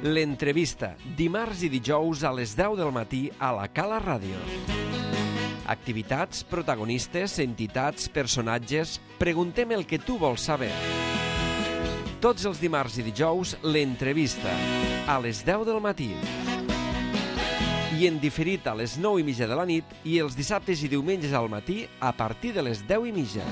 L'entrevista, dimarts i dijous a les 10 del matí a la Cala Ràdio. Activitats, protagonistes, entitats, personatges... Preguntem el que tu vols saber. Tots els dimarts i dijous, l'entrevista, a les 10 del matí. I en diferit a les 9:30 de la nit i els dissabtes i diumenges al matí a partir de les 10:30.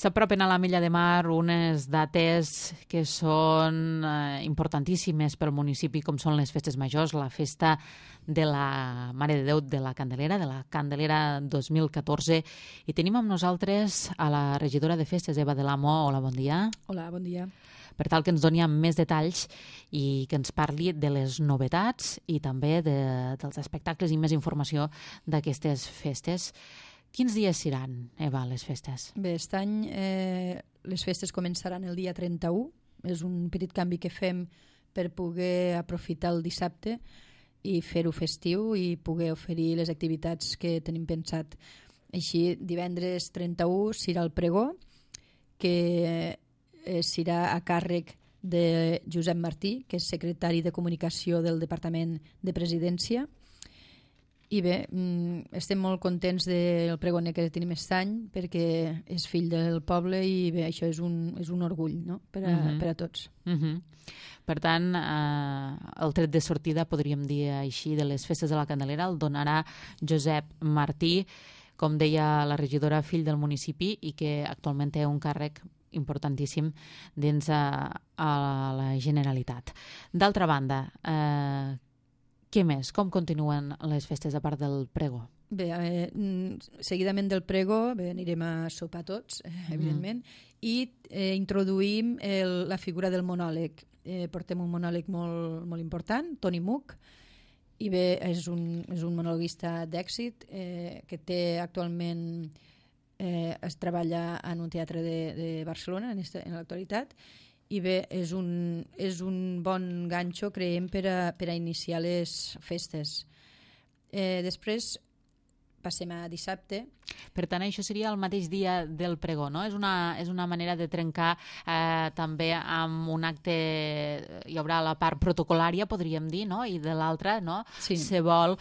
S'apropen a la Milla de Mar unes dates que són importantíssimes pel municipi, com són les festes majors, la festa de la Mare de Déu de la Candelera 2014. I tenim amb nosaltres a la regidora de festes, Eva de l'Amo. Hola, bon dia. Hola, bon dia. Per tal que ens doni més detalls i que ens parli de les novetats i també dels espectacles i més informació d'aquestes festes. Quins dies seran, Eva, les festes? Bé, aquest any les festes començaran el dia 31. És un petit canvi que fem per poder aprofitar el dissabte i fer-ho festiu i poder oferir les activitats que tenim pensat. Així, divendres 31 serà el pregó, que serà a càrrec de Josep Martí, que és secretari de Comunicació del Departament de Presidència. I bé, estem molt contents del pregoner que tenim aquest any perquè és fill del poble i bé, això és un orgull, no? per a tots. Per tant, el tret de sortida, podríem dir així, de les festes de la Candelera el donarà Josep Martí, com deia la regidora, fill del municipi i que actualment té un càrrec importantíssim dins a la Generalitat. D'altra banda, què més? Com continuen les festes a part del pregó? Bé, seguidament del pregó anirem a sopar tots, evidentment, i introduïm la figura del monòleg. Portem un monòleg molt important, Toni Muc, i bé, és un monologuista d'èxit que té actualment es treballa en un teatre de Barcelona en l'actualitat. I bé, és un bon ganxo, creiem, per a iniciar les festes. Després passem a dissabte. Per tant, això seria el mateix dia del pregó, no? És una manera de trencar també amb un acte... Hi haurà la part protocolària, podríem dir, no? I de l'altra, no? Sí. Se vol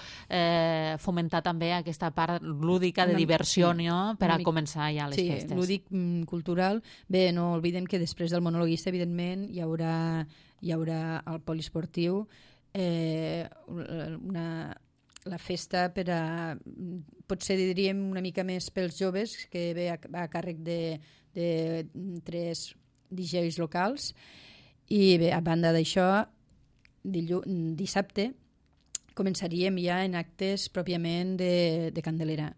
fomentar també aquesta part lúdica de diversió, no? Per a començar ja les festes. Sí, lúdic, cultural. Bé, no oblidem que després del monologuista, evidentment, hi haurà el poliesportiu, la festa potser diríem una mica més pels joves, que va a càrrec de 3 DJs locals. I bé, a banda d'això, dissabte començaríem ja en actes pròpiament de Candelera.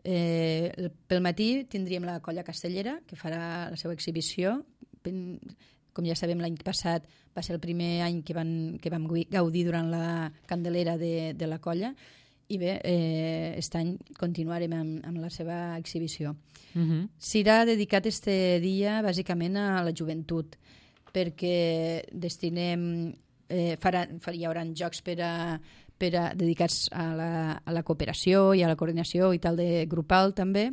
Pel matí tindríem la Colla Castellera, que farà la seva exhibició. Com ja sabem, l'any passat va ser el primer any que vam gaudir durant la Candelera de la colla, i bé, aquest any continuarem amb la seva exhibició. Serà dedicat este dia bàsicament a la joventut, perquè hi haurà jocs dedicats a la cooperació i a la coordinació i tal, de grupal també,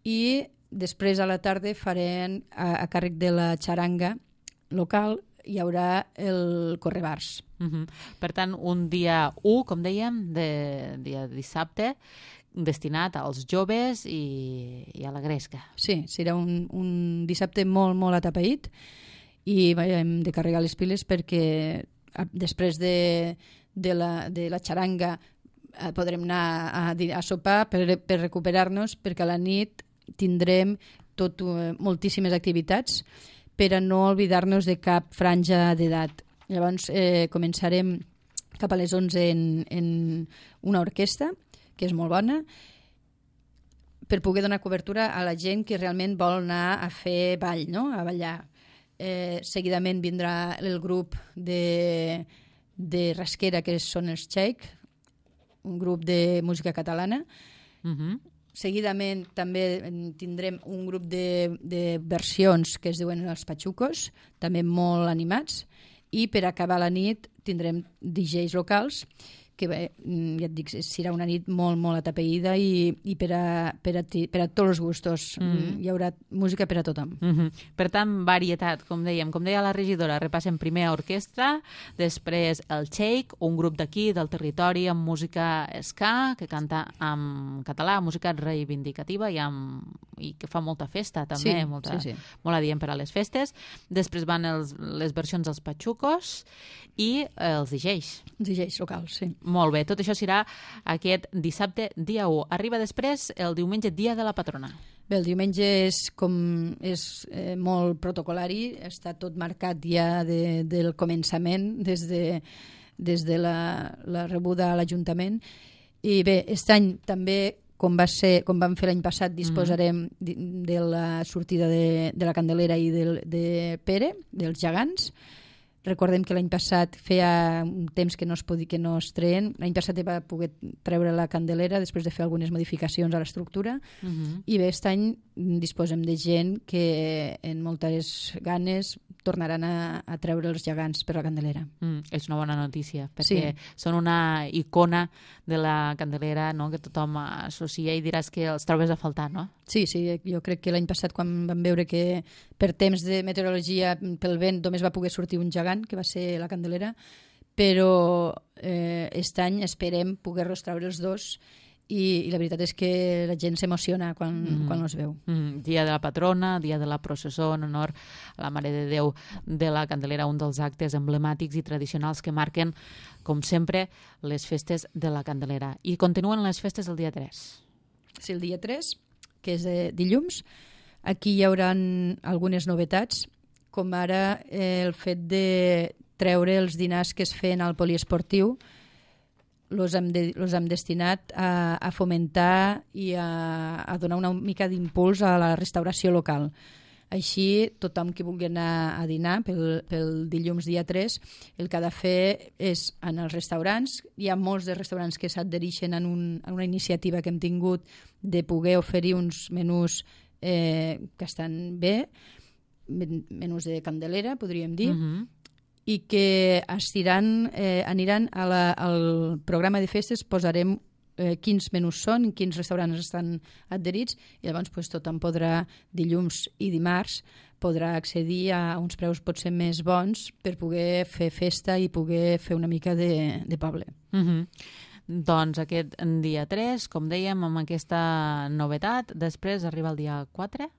i després a la tarda farem a càrrec de la xaranga local, hi haurà el correbars. Per tant, un dia 1, com dèiem, dia dissabte, destinat als joves i a la gresca. Sí, serà un dissabte molt, molt atapeït i hem de carregar les piles perquè després de la xaranga podrem anar a sopar per recuperar-nos, perquè a la nit tindrem moltíssimes activitats per a no oblidar-nos de cap franja d'edat. Llavors començarem cap a les 11 en una orquestra, que és molt bona, per poder donar cobertura a la gent que realment vol anar a fer ball, no? A ballar. Seguidament vindrà el grup de rasquera, que són els Txec, un grup de música catalana. Seguidament també tindrem un grup de versions que es diuen els Pachucos, també molt animats, i per acabar la nit tindrem DJs locals que bé, ja et dic, serà una nit molt, molt atapeïda i per a tots els gustos. Hi haurà música per a tothom. Per tant, varietat, com dèiem. Com deia la regidora, repassem primer orquestra, després el Shake, un grup d'aquí, del territori, amb música ska, que canta en català, música reivindicativa i que fa molta festa, també, molt adient per a les festes. Després van les versions dels Pachucos i els DJs. Els DJs locals, sí. Molt bé, tot això serà aquest dissabte, dia 1. Arriba després el diumenge, dia de la patrona. Bé, el diumenge és molt protocolari, està tot marcat ja del començament, des de la rebuda a l'Ajuntament. I bé, aquest any també, com vam fer l'any passat, disposarem de la sortida de la Candelera i de Pere, dels gegants. Recordem que l'any passat feia un temps que no es treien. L'any passat va poder treure la Candelera després de fer algunes modificacions a l'estructura. I bé, aquest any disposem de gent que en moltes ganes tornaran a treure els gegants per la Candelera. És una bona notícia, perquè són una icona de la Candelera, no?, que tothom associa i diràs que els trobes a faltar, no? Sí, jo crec que l'any passat, quan vam veure que per temps de meteorologia, pel vent, només va poder sortir un gegant, que va ser la Candelera, però aquest any esperem poder-los treure els dos i la veritat és que la gent s'emociona quan els veu. Dia de la patrona, dia de la processó en honor a la Mare de Déu de la Candelera, un dels actes emblemàtics i tradicionals que marquen, com sempre, les festes de la Candelera. I continuen les festes del dia 3. Sí, el dia 3, que és dilluns. Aquí hi haurà algunes novetats, com ara el fet de treure els dinars que es feien al poliesportiu. Los hem destinat a fomentar i a donar una mica d'impuls a la restauració local. Així, tothom que vulgui anar a dinar pel dilluns dia 3, el que ha de fer és en els restaurants. Hi ha molts de restaurants que s'adhereixen a una iniciativa que hem tingut de poder oferir uns menús que estan bé, menús de Candelera, podríem dir, i que aniran al programa de festes, posarem quins menús són, quins restaurants estan adherits, i llavors tothom podrà, dilluns i dimarts, podrà accedir a uns preus potser més bons per poder fer festa i poder fer una mica de poble. Doncs aquest dia 3, com dèiem, amb aquesta novetat, després arriba el dia 4?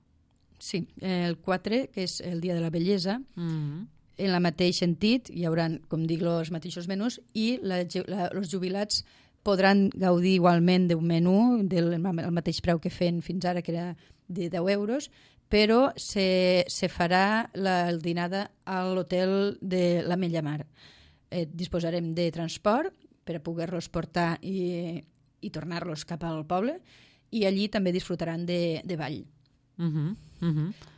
Sí, el 4, que és el dia de la bellesa. En el mateix sentit, hi haurà, com dic, els mateixos menús i els jubilats podran gaudir igualment d'un menú del mateix preu que feien fins ara, que era de 10 euros, però se farà el dinada a l'hotel de l'Ametlla Mar. Disposarem de transport per a poder-los portar i tornar-los cap al poble, i allí també disfrutaran de ball.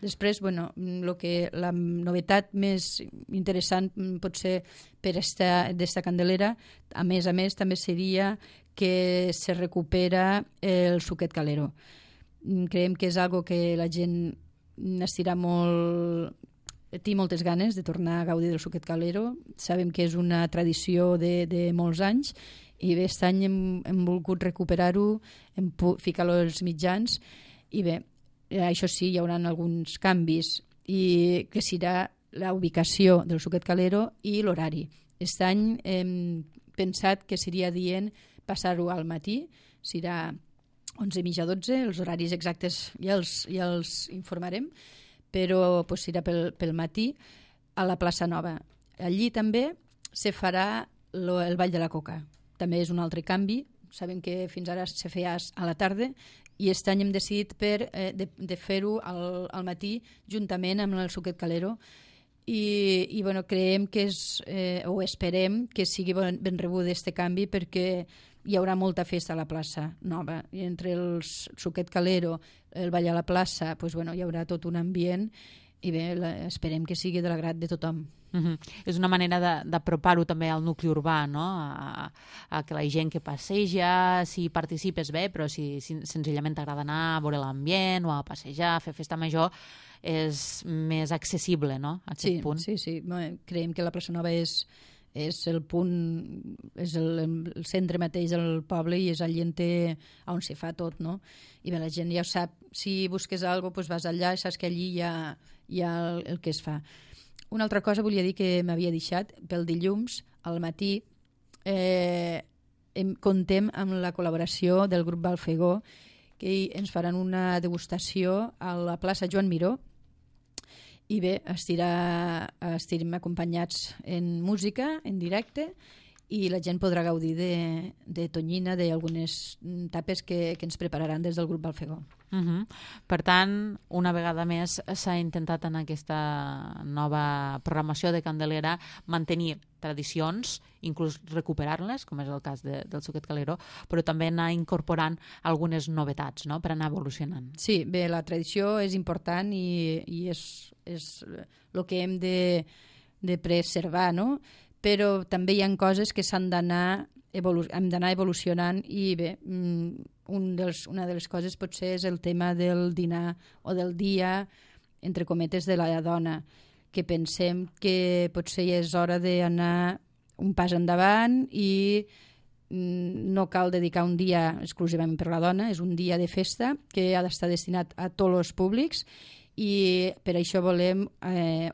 Després, la novetat més interessant potser per d'esta Candelera, a més, també seria que se recupera el suquet calero. Creiem que és algo que la gent n'estirà molt, té moltes ganes de tornar a gaudir del suquet calero. Sabem que és una tradició de molts anys i bé, aquest any hem volgut recuperar-ho, ficar-lo als mitjans i bé, això sí, hi haurà alguns canvis, i que serà la ubicació del suquet calero i l'horari. Aquest any hem pensat que seria adient passar-ho al matí, serà 11:30 a 12, els horaris exactes ja els informarem, però serà pel matí a la plaça Nova. Allí també se farà el Ball de la Coca. També és un altre canvi. Sabem que fins ara se feia a la tarda, i aquest any hem decidit de fer-ho al matí juntament amb el suquet calero, i creiem que o esperem que sigui ben rebut aquest canvi, perquè hi haurà molta festa a la plaça Nova, i entre el suquet calero, el ball a la plaça, hi haurà tot un ambient, i bé, esperem que sigui de l'agrat de tothom. És una manera d'apropar-ho també al nucli urbà, no? A que la gent que passeja, si participes bé, però si senzillament t'agrada anar a veure l'ambient o a passejar, a fer festa major, és més accessible, no? A aquest punt. Sí. Creiem que la plaça Nova és és el punt, és el centre mateix del poble i és el llienter on se fa tot, no? I bé, la gent ja ho sap, si busques alguna cosa, doncs vas allà i saps que allí hi ha el que es fa. Una altra cosa volia dir que m'havia deixat, pel dilluns, al matí, contem amb la col·laboració del grup Balfegó, que ens faran una degustació a la plaça Joan Miró, i bé, estirem acompanyats en música, en directe, i la gent podrà gaudir de tonyina, d'algunes tapes que ens prepararan des del grup Balfegó. Per tant, una vegada més s'ha intentat en aquesta nova programació de Candelera mantenir tradicions, inclús recuperar-les, com és el cas del Suquet Calero, però també anar incorporant algunes novetats, no?, per anar evolucionant. Sí, bé, la tradició és important i és el que hem de preservar, no?, però també hi ha coses que s'han d'anar evolucionant i bé, una de les coses potser és el tema del dinar o del dia, entre cometes, de la dona, que pensem que potser ja és hora d'anar un pas endavant i no cal dedicar un dia exclusivament per la dona, és un dia de festa que ha d'estar destinat a tots els públics i per això volem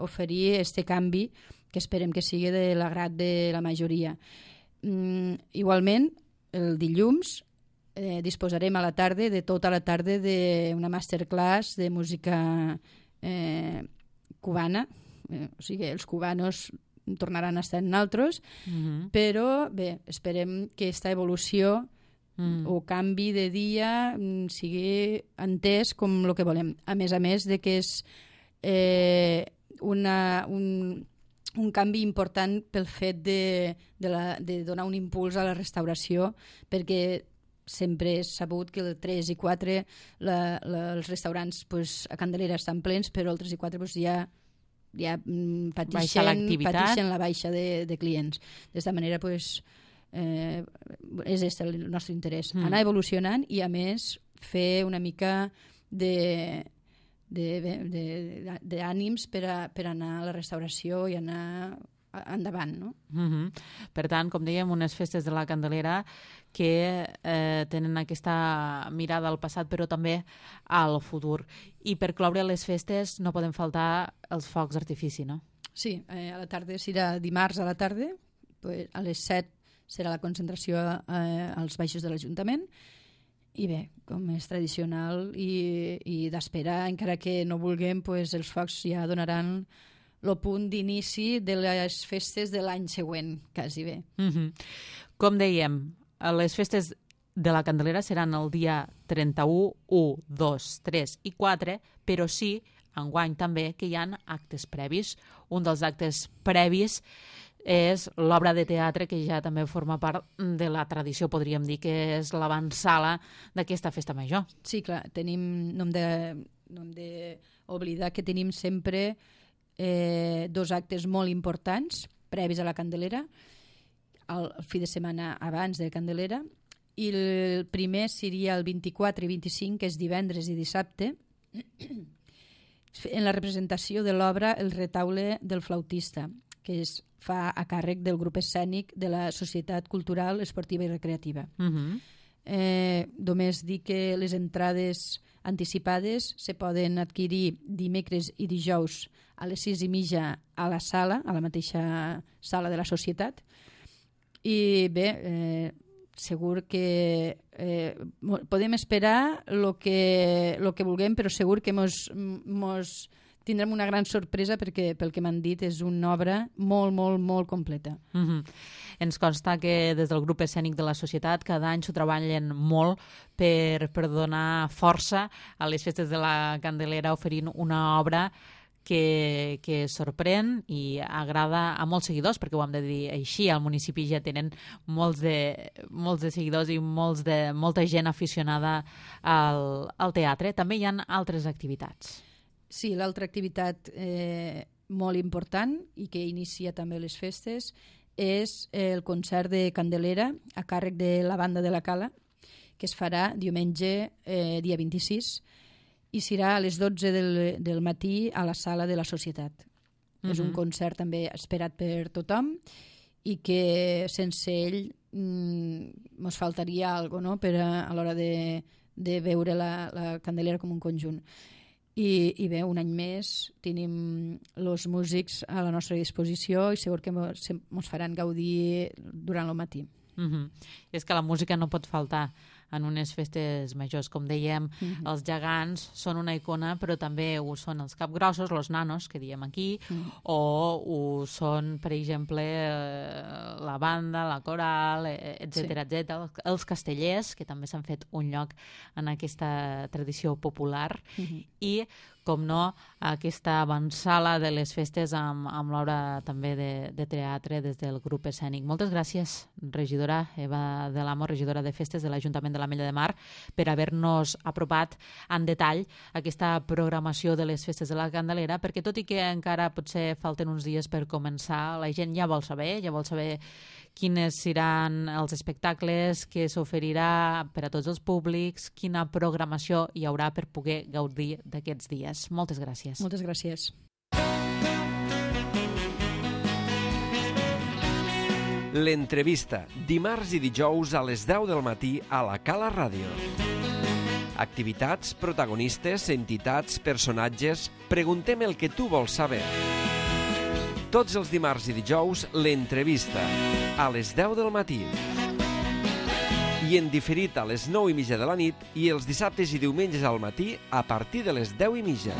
oferir aquest canvi que esperem que sigui de l'agrat de la majoria. Igualment, el dilluns disposarem a la tarda, de tota la tarda, d'una masterclass de música cubana, o sigui, els cubanos tornaran a estar en altres, però bé, esperem que aquesta evolució o canvi de dia sigui entès com el que volem. A més de que és un canvi important pel fet de donar un impuls a la restauració, perquè sempre és sabut que el 3 i 4 els restaurants a Candelera estan plens, però el 3 i 4 ja pateixen la baixa de clients. D'esta manera és el nostre interès, anar evolucionant i a més fer una mica d'ànims per anar a la restauració i anar endavant, no? Per tant, com dèiem, unes festes de la Candelera que tenen aquesta mirada al passat però també al futur. I per cloure les festes no poden faltar els focs d'artifici, no? Sí, a la tarda serà dimarts a la tarda, a les 7 serà la concentració als baixos de l'Ajuntament. I bé, com és tradicional i d'esperar, encara que no vulguem, els focs ja donaran el punt d'inici de les festes de l'any següent, quasi bé. Com dèiem, les festes de la Candelera seran el dia 31, 1, 2, 3 i 4, però sí, enguany també, que hi ha actes previs. Un dels actes previs és l'obra de teatre que ja també forma part de la tradició, podríem dir, que és l'avantsala d'aquesta festa major. Sí, clar, no hem d'oblidar que tenim sempre dos actes molt importants previs a la Candelera, el fi de setmana abans de Candelera, i el primer seria el 24 i 25, que és divendres i dissabte, en la representació de l'obra El retaule del flautista, que es fa a càrrec del grup escènic de la Societat Cultural, Esportiva i Recreativa. Només dir que les entrades anticipades se poden adquirir dimecres i dijous a les 6:30 a la sala, a la mateixa sala de la Societat. I bé, segur que podem esperar el que vulguem, però segur que mos tindrem una gran sorpresa perquè, pel que m'han dit, és una obra molt, molt, molt completa. Ens consta que des del grup escènic de la Societat cada any s'ho treballen molt per donar força a les festes de la Candelera, oferint una obra que sorprèn i agrada a molts seguidors, perquè ho hem de dir així, al municipi ja tenen molts de seguidors i molta gent aficionada al teatre. També hi ha altres activitats. Sí, l'altra activitat molt important i que inicia també les festes és el concert de Candelera a càrrec de la Banda de la Cala, que es farà diumenge dia 26 i serà a les 12 del matí a la sala de la Societat. És un concert també esperat per tothom i que sense ell ens faltaria alguna cosa, no? Per a l'hora de veure la Candelera com un conjunt. I bé, un any més tenim els músics a la nostra disposició i segur que ens faran gaudir durant el matí. És que la música no pot faltar en unes festes majors. Com dèiem, els gegants són una icona, però també ho són els capgrossos, els nanos, que diem aquí, o ho són, per exemple, la banda, la coral, etc etc. Els castellers, que també s'han fet un lloc en aquesta tradició popular, i com no, aquesta avançala de les festes amb l'hora també de teatre des del grup escènic. Moltes gràcies, regidora Eva de l'Amo, regidora de Festes de l'Ajuntament de l'Ametlla de Mar, per haver-nos apropat en detall aquesta programació de les Festes de la Candelera, perquè tot i que encara potser falten uns dies per començar, la gent ja vol saber quines seran els espectacles que s'oferirà per a tots els públics, quina programació hi haurà per poder gaudir d'aquests dies. Moltes gràcies. Moltes gràcies. L'entrevista, dimarts i dijous a les 10 del matí a la Cala Ràdio. Activitats, protagonistes, entitats, personatges... Preguntem el que tu vols saber. Tots els dimarts i dijous, l'entrevista, a les 10 del matí. I en diferit a les 9:30 de la nit i els dissabtes i diumenges al matí a partir de les 10:30.